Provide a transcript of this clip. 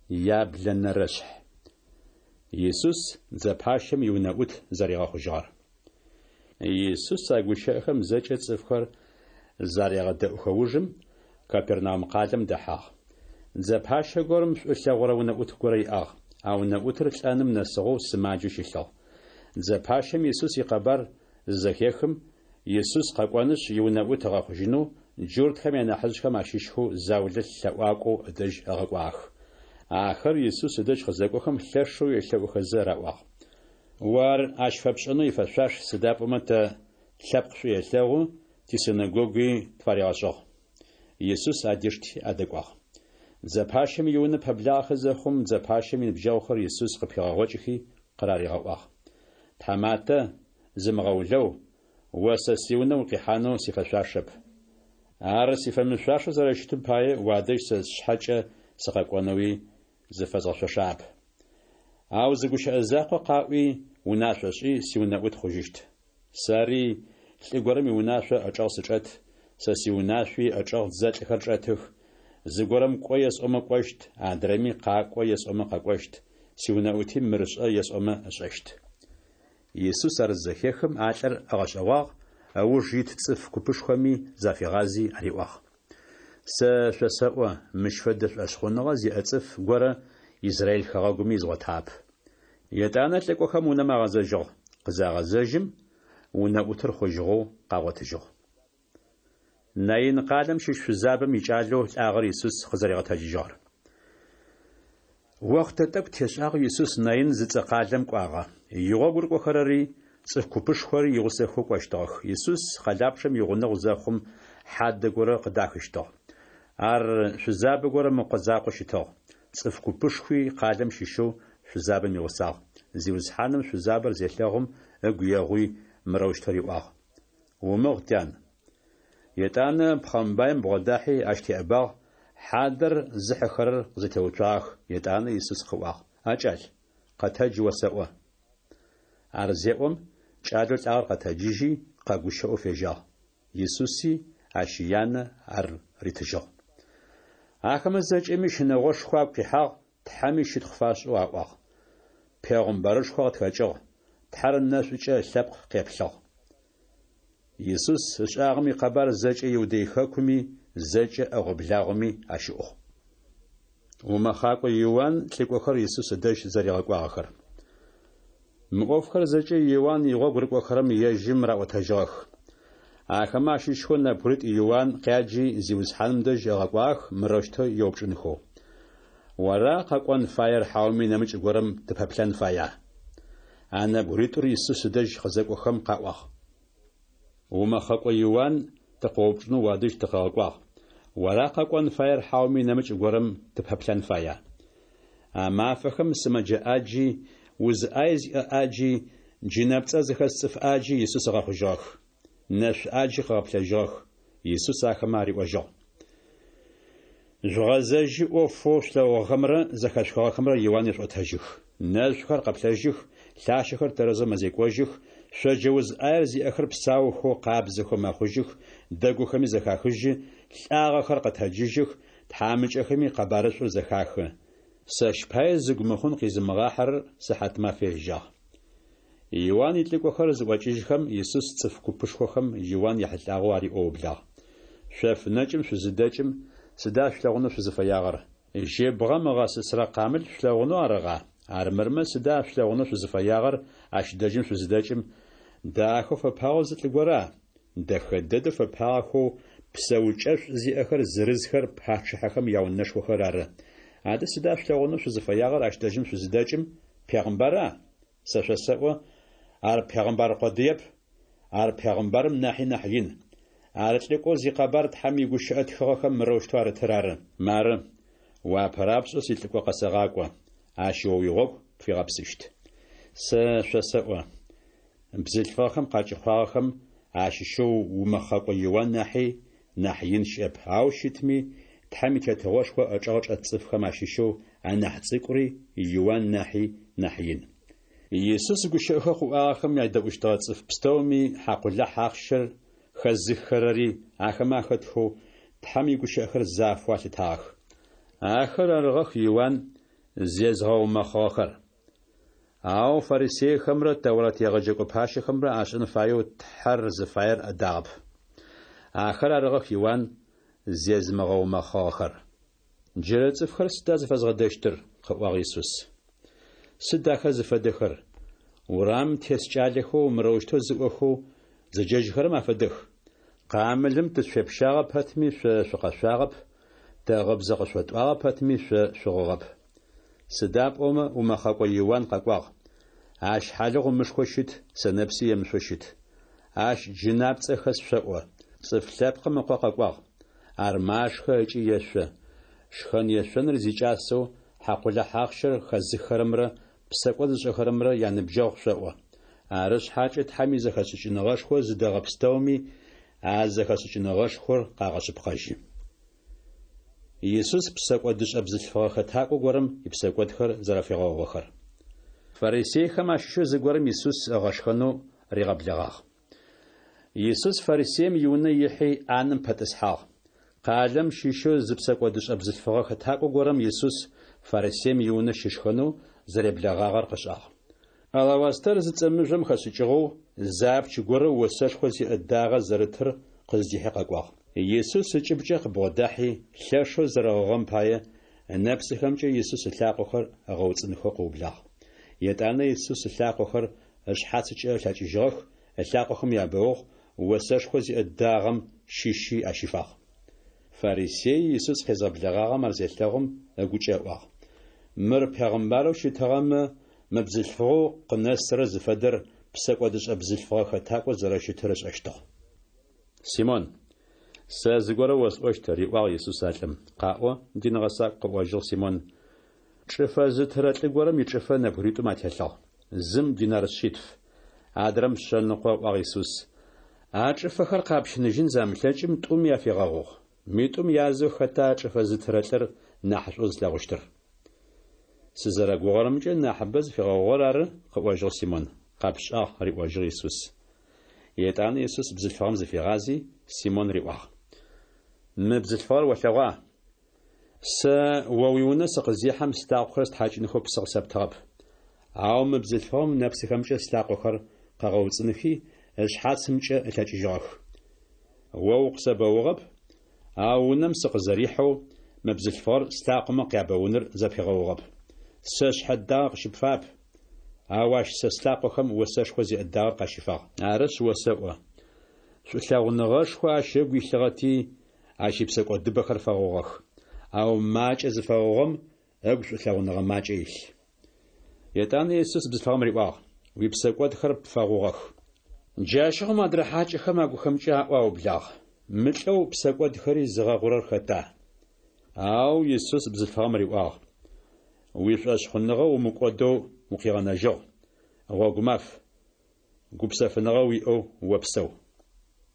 Яблэнэрэшъхь. Исус дзэ пащэм иунэӏут зэригъэхъужьыгъэр. Исус а гущыӏэхэм зэкӏэ цӏыфхэр зарегъэдэӏухэ ужым, Капернаум къалэм дэхьагъ. Дзэ пащэ горэм шӏу ылъэгъурэ унэӏут горэ иӏагъ. А унэӏутыр лӏэным нэсыгъэу сымаджэу щылъыгъ. Дзэ пащэм Исус икъэбар зызэхехым, Исус къэкӏонышъ иунэӏут ыгъэхъужьынэу джуртхэм янахьыжъхэм ащыщхэу заулэ лъэӏуакӏоу ыдэжь ыгъэкӏуагъэх. Ахэр Исус ыдэжь къызэкӏохэм лъэшэу елъэӏухэзэ раӏуагъ: О ар ащ фэпшӏэнэу ифэшъуаш, сыда пӏомэ тэ тлъэпкъ шӏу елъэгъу, тисинэгогуи тфаригъэшӏыгъ. Исус адишти адэкӏуагъ. Дзэ пащэм иунэ пэблагъэхэ зэхъум, дзэ пащэм иныбджэгъухэр Исус къыпигъэгъокӏыхи къыраригъэӏуагъ: Тхьаматэ, зымыгъэулэу, о сэ сиунэ укъихьанэу сифэшъуашэп. Ар сифэмышъуашэу зэрэщытым пае уадэжь сэ сшъхьэкӏэ сыкъэкӏонэуи зыфэзгъэшъошагъэп. Ау зы гущыӏэ закъо къаӏуи, унашъо шӏи, сиунэӏут хъужьыщт. Сэри лӏы горэм иунашъо ӏэчӏэгъ сычӏэт, сэ сиунашъуи ыӏэчӏэгъ дзэлӏхэр чӏэтых. Зыгорэм кӏо есӏомэ кӏощт, адрэми къакӏо есӏомэ къэкӏощт, сиунэӏути мыр шӏэ есӏомэ ышӏэщт. Исус ар зызэхехым, а лӏыр ыгъэшӏэгъуагъ, ыуж ит цӏыф купышхоми зафигъази ариӏуагъ: Сэ шъосэӏо, мыщ фэдэ шӏошъхъуныгъэ зиӏэ цӏыф горэ Израиль хэгъэгуми изгъотагъэп. Етӏанэ лӏыкӏохэм унэм агъэзэжьыгъ. Къызагъэзэжьым, унэӏутыр хъужьыгъэу къагъотыжьыгъ. Наин къалэм щыщ шъузабэм икӏалэу лӏагъэр Исус къызэригъэтэджыжьыгъэр. Охътэ тӏэкӏу тешӏагъэу Исус Наин зыцӏэ къалэм кӏуагъэ. Игъогу рыкӏохэрэри цӏыф купышхори игъусэхэу кӏощтыгъэх. Исус къэлапчъэм игъунэгъу зэхъум, хьадэ горэ къыдахыщтыгъ. Ар шъузабэ горэм ыкъо закъоу щытыгъ. Цӏыф купышхуи къалэм щыщэу шъузабэм игъусагъ. Зиусхьаным шъузабэр зелъэгъум, ыгу егъуи, мырэущтэу риӏуагъ: Умыгъ, тян. Етӏанэ пхъэмбаим бгъодахьи ащ теӏэбагъ, хьадэр зыхьыхэрэр къызэтеуцуагъэх. Етӏанэ Исус къыӏуагъ: А кӏал, къэтэдж осэӏо. Ар зеӏом, кӏалэу лӏагъэр къэтэджыжьи, къэгущыӏэу фежьагъ. Исуси ащ янэ ар ритыжьыгъ. Ахэмэ зэкӏэми щынэгъошхо агу къихьагъ, Тхьэми щытхъу фашӏэу аӏуагъ: Пегъымбарышхо къытхэкӏыгъ, Тхьэр нэшӏукӏэ ылъэпкъ къеплъыгъ. Исус ышӏагъэм икъэбар зэкӏэ Иудей хэкуми, зэкӏэ ӏэгъо-благъоми ащыӏугъ. Умэхъакӏо Иуан лӏыкӏохэр Исус ыдэжь зэригъэкӏуагъэхэр. Мы ӏофхэр зэкӏэ Иуан игъогу рыкӏохэрэм ежьым раӏотэжьыгъэх. Ахэмэ ащыщхэу нэбгыритӏу Иуан къяджи Зиусхьаным дэжь ыгъэкӏуагъэх мырэущтэу еупчӏынхэу: Ора къэкӏон фаер хьауми нэмыкӏ горэм тыпэплъэн фая? А нэбгыритӏур Исус ыдэжь къызэкӏохэм къаӏуагъ: Умэхъэкӏо Иуан тыкъыоупчӏынэу уадэжь тыкъыгъэкӏуагъ. Ора къэкӏон фаер хьауми нэмыкӏ горэм тыпэплъэн фая? А мафэхэм сымэджэ ӏаджи, уз ӏай зиӏэ ӏаджи, джынэпцӏэ зыхэс цӏыф ӏаджи Исус ыгъэхъужьыгъэх. Нэшъу ӏаджи къыгъэплъэжьыгъэх. Исус ахэмэ ариӏожьыгъ: Жъугъэзэжьи ӏофэу шъулъэгъугъэхэмрэ зэхэшъухыгъэхэмрэ Иуан ешъуӏотэжьых. Нэшъухэр къэплъэжьых, лъащэхэр тэрэзэу мэзекӏожьых, шъоджэ уз ӏаер зиӏэхэр псаухэу, къабзэхэу мэхъужьых, дэгухэми зэхахыжьы, лӏагъэхэр къэтэджыжьых, тхьамыкӏэхэми къэбарышӏур зэхахы. Сэщ пае зыгу мыхъун къизымыгъахьэрэр сыхьатмафэ ежьагъ. Иуан илӏыкӏохэр зыӏокӏыжьхэм, Исус цӏыф купышхохэм Иуан ехьылӏагъэу ариӏоу ыублагъ. Шъоф нэкӏым шъузыдэкӏым, сыда шъулъэгъунэу шъузыфэягъэр? Жьыбгъэм ыгъэсысрэ къамыл шъулъэгъунэу арыгъа? Армырмэ сыда шъулъэгъунэу шъузыфэягъэр ащ дэжьым шъузыдэкӏым? Дахэу фэпагъэу зы лӏы гора? Дэхэ дэдэу фэпагъэхэу псэукӏэшӏу зиӏэхэр зырызхэр пачъыхьэхэм яунэшхохэр ары. Адэ сыда шъулъэгъунэу шъузыфэягъэр ащ дэжьым шъузыдэкӏым? Пегъымбара? Сэ шъосэӏо, ар пегъымбар къодыеп, ар пегъымбарым нахьи нахь ин. Ар лӏыкӏоу зикъэбар Тхьэм игущыӏэ тхыгъэхэм мырэущтэу арытыр ары: Мары, о апэрапшӏэу силӏыкӏо къэсэгъакӏо, ащ о уигъогу пфигъэпсыщт. Сэ шъосэӏо, бзылъфыгъэхэм къакӏэхъуагъэхэм ащыщэу умэхъэкӏо Иуан нахьи нахь ин щыӏэп, ау щытми Тхьэм и Тетыгъошхо ычӏэгъ чӏэт цӏыфхэм ащыщэу анахь цӏыкӏури Иуан нахьи нахь ин. Исус гущыӏэхэу къыӏуагъэхэм ядэӏущтыгъэ цӏыф пстэуми хьакъулахь ахъщэр хэзыххэрэри ахэмэ ахэтхэу Тхьэм игущыӏэхэр зафэу алъытагъэх. Ахэр арыгъэх Иуан Зезгъэумэхъыгъэхэр. Ау фарисейхэмрэ Тэурат егъэджэкӏо пащэхэмрэ ашӏэн фаеу Тхьэр зыфаер адагъэп. Ахэр арыгъэх Иуан зезымыгъэумэхъыгъэхэр. Джырэ цӏыфхэр сыда зыфэзгъэдэщтыр? къыӏуагъ Исус. Сыд ахэр зыфэдэхэр? Урамым тес кӏалэхэу мырэущтэу зыӏохэу зэджэжьыхэрэм афэдэх. Къамылым тышъуепщагъэ пэтми шъо шъукъэшъуагъэп, тэ гъыбзэ къышъотӏуагъэ пэтми шъо шъугъыгъэп. Сыда пӏомэ умэхъэкӏо Иуан къэкӏуагъ. Ащ хьалыгъу ымышхэу щыт, сэнэпси емышъоу щыт. Ащ джынапцӏэ хэс шъоӏо. Цӏыф Лъэпкъым Ыкъо къэкӏуагъ. Ар машхэ ыкӏи ешъо. Шхэн-ешъоныр зикӏасэу, хьакъулахь ахъщэр хэзыххэрэмрэ псэкӏод зышӏэхэрэмрэ яныбджэгъу шъоӏо. Ары шъхьакӏэ Тхьэм изэхэшӏыкӏыныгъэшхо зыдэгъэ пстэуми а зэхэшӏыкӏыныгъэшхор къагъэшъыпкъэжьы. Исус псэкӏодышӏэ бзылъфыгъэ хэтакӏо горэм ипсэкӏодхэр зэрэфигъэгъугъэхэр. Фарисейхэм ащыщэу зыгорэм Исус ыгъэшхэнэу ригъэблэгъагъ. Исус фарисеим иунэ ихьи, ӏанэм пэтӏысхьагъ. Къалэм щыщэу зы псэкӏодышӏэ бзылъфыгъэ хэтакӏо горэм Исус фарисеим иунэ щышхэнэу зэреблэгъагъэр къышӏагъ. Алавастэр зыцӏэ мыжъом хэшӏыкӏыгъэу зы апч горэ осэшхо зиӏэ дагъэ зэрытыр къыздихьи къэкӏуагъ. Исус ыкӏыбкӏэ къыбгъодахьи, лъэшэу зэрэгъыгъэм пае, ынэпсыхэмкӏэ Исус ылъакъохэр ыгъэуцӏынхэу къыублагъ. Етӏанэ Исус ылъакъохэр ышъхьацыкӏэ ылъэкӏыжьыгъэх, ылъакъохэм ябэугъ, осэшхо зиӏэ дагъэм щыщи ащифагъ. Фарисееу Исус къезгъэблэгъагъэм ар зелъэгъум, ыгукӏэ ыӏуагъ, Мыр пегъымбарэу щытыгъэмэ, мы бзылъфыгъэу къынэсырэр зыфэдэр псэкӏодышӏэ бзылъфыгъэ хэтакӏоу зэрэщытыр ышӏэщтыгъ. Симон, сэ зыгорэ осӏощт, риӏуагъ Исус а лӏым. Къаӏо, дин гъэсакӏу, къыӏожьыгъ Симон. Чӏыфэ зытырэ лӏы горэм ичӏыфэ нэбгыритӏум ателъыгъ. Зым динар шъитф, адрэм шъэныкъо, ыӏуагъ Исус. А чӏыфэхэр къапщыныжьын замылъэкӏым, тӏуми афигъэгъугъ. Митӏум язэу хэта чӏыфэ зытырэ лӏыр нахьышӏоу зылъэгъущтыр? Сызэрэгугъэрэмкӏэ, нахьыбэ зыфигъэгъугъэр ары, къыӏожьыгъ Симон. Къэпшӏагъ, риӏожьыгъ Исус. Етӏанэ Исус бзылъфыгъэм зыфигъази, Симон риӏуагъ, Мы бзылъфыгъэр олъэгъуа? Сэ о уиунэ сыкъызехьэм слъакъохэр стхьакӏынхэу псы къысэптыгъэп. Ау мы бзылъфыгъэм ынэпсыхэмкӏэ слъакъохэр къыгъэуцӏынхи, ышъхьацымкӏэ ылъэкӏыжьыгъэх. О укъысэбэугъэп, ау унэм сыкъызэрихьэу мы бзылъфыгъэр слъакъомэ къябэуныр зэпигъэугъэп. Сэ сшъхьэ дагъэ къыщыпфап, ау ащ сэ слъакъохэм осэшхо зиӏэ дагъэр къащифагъ. Арышъ, осэӏо, шӏулъэгъуныгъэшхо ащ ыгу илъыгъэти, ащ ипсэкӏодыбэхэр фэгъугъэх. Ау макӏэ зыфэгъугъэм ыгу шӏулъэгъуныгъэ макӏэ илъ. Етӏанэ Исус бзылъфыгъэм риӏуагъ, Уипсэкӏодхэр пфэгъугъэх. Джащыгъум адрэ хьакӏэхэм агухэмкӏэ аӏоу аублагъ, Мы лӏэу псэкӏодхэри зыгъэгъурэр хэта? Ау Исус бзылъфыгъэм риӏуагъ, Уишӏошъхъуныгъэ умыкӏодэу укъигъэнэжьыгъ. Гъогумаф! Гупсэфыныгъэ уиӏэу опсэу.